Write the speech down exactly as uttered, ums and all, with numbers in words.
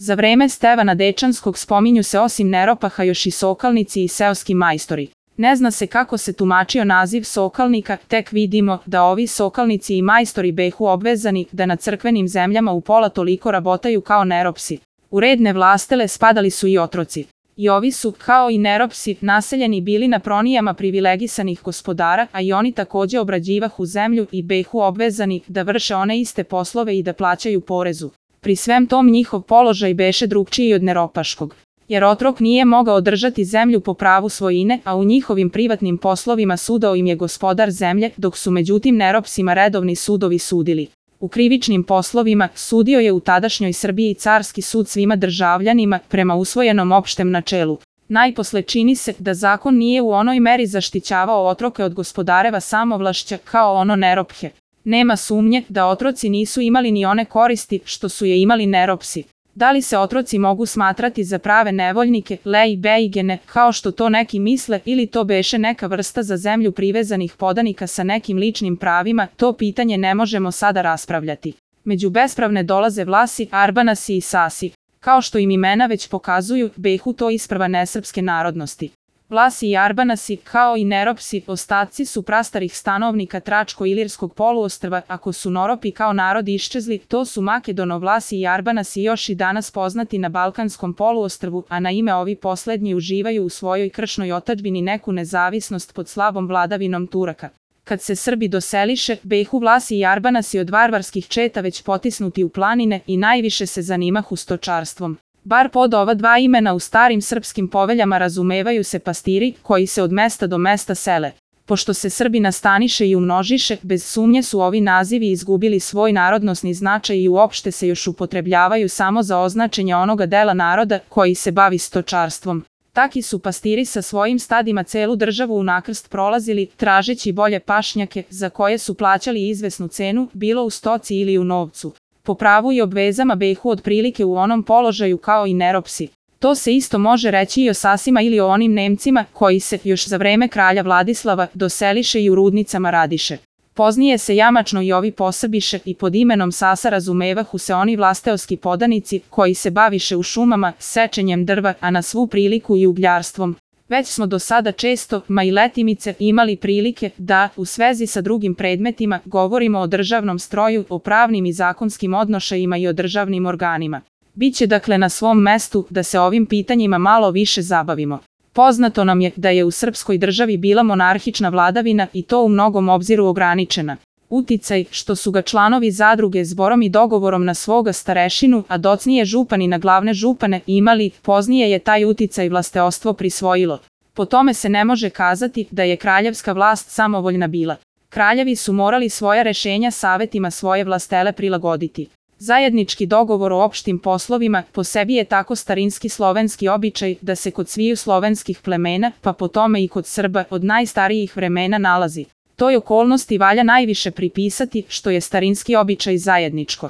Za vreme Stevana Dečanskog spominju se osim Neropaha još i sokalnici i seoski majstori. Ne zna se kako se tumačio naziv sokalnika, tek vidimo da ovi sokalnici i majstori behu obvezani da na crkvenim zemljama u pola toliko rabotaju kao neropsi. U red nevlastele spadali su i otroci. I ovi su, kao i neropsi, naseljeni bili na pronijama privilegisanih gospodara, a i oni takođe obrađivahu zemlju i behu obvezani da vrše one iste poslove i da plaćaju porezu. Pri svem tom njihov položaj beše drugčiji od neropaškog, jer otrok nije mogao održati zemlju po pravu svojine, a u njihovim privatnim poslovima sudao im je gospodar zemlje, dok su međutim neropsima redovni sudovi sudili. U krivičnim poslovima sudio je u tadašnjoj Srbiji carski sud svima državljanima prema usvojenom opštem načelu. Najposle čini se da zakon nije u onoj meri zaštićavao otroke od gospodareva samovlašća kao ono nerophe. Nema sumnje da otroci nisu imali ni one koristi što su je imali neropsi. Da li se otroci mogu smatrati za prave nevoljnike, lej bejgene, kao što to neki misle, ili to beše neka vrsta za zemlju privezanih podanika sa nekim ličnim pravima, to pitanje ne možemo sada raspravljati. Među bespravne dolaze Vlasi, Arbanasi i Sasi. Kao što im imena već pokazuju, behu to isprva nesrpske narodnosti. Vlasi i Arbanasi, kao i neropsi, ostaci su prastarih stanovnika Tračko-Ilirskog poluostrva. Ako su Noropi kao narod iščezli, to su Makedono-Vlasi i Arbanasi još i danas poznati na Balkanskom poluostrvu, a na ime ovi poslednji uživaju u svojoj kršnoj otadžbini neku nezavisnost pod slabom vladavinom Turaka. Kad se Srbi doseliše, behu Vlasi i Arbanasi od varvarskih četa već potisnuti u planine i najviše se zanimahu stočarstvom. Bar pod ova dva imena u starim srpskim poveljama razumevaju se pastiri koji se od mesta do mesta sele. Pošto se Srbi nastaniše i umnožiše, bez sumnje su ovi nazivi izgubili svoj narodnosni značaj i uopšte se još upotrebljavaju samo za označenje onoga dela naroda koji se bavi stočarstvom. Taki su pastiri sa svojim stadima celu državu u nakrst prolazili, tražeći bolje pašnjake, za koje su plaćali izvesnu cenu, bilo u stoci ili u novcu. Po pravu i obvezama behu otprilike u onom položaju kao i neropsi. To se isto može reći i o Sasima ili o onim Nemcima koji se, još za vreme kralja Vladislava, doseliše i u rudnicama radiše. Poznije se jamačno i ovi posrbiše i pod imenom Sasa razumevahu se oni vlasteoski podanici koji se baviše u šumama, sečenjem drva, a na svu priliku i ugljarstvom. Već smo do sada često, ma i letimice, imali prilike da, u svezi sa drugim predmetima, govorimo o državnom stroju, o pravnim i zakonskim odnošajima i o državnim organima. Biće dakle na svom mestu da se ovim pitanjima malo više zabavimo. Poznato nam je da je u srpskoj državi bila monarhična vladavina i to u mnogom obziru ograničena. Uticaj, što su ga članovi zadruge zborom i dogovorom na svoga starešinu, a docnije župani na glavne župane, imali, poznije je taj uticaj vlasteostvo prisvojilo. Po tome se ne može kazati da je kraljevska vlast samovoljna bila. Kraljevi su morali svoja rešenja savetima svoje vlastele prilagoditi. Zajednički dogovor o opštim poslovima po sebi je tako starinski slovenski običaj da se kod sviju slovenskih plemena, pa po tome i kod Srba, od najstarijih vremena nalazi. Toj okolnosti valja najviše pripisati što je starinski običaj zajedničko.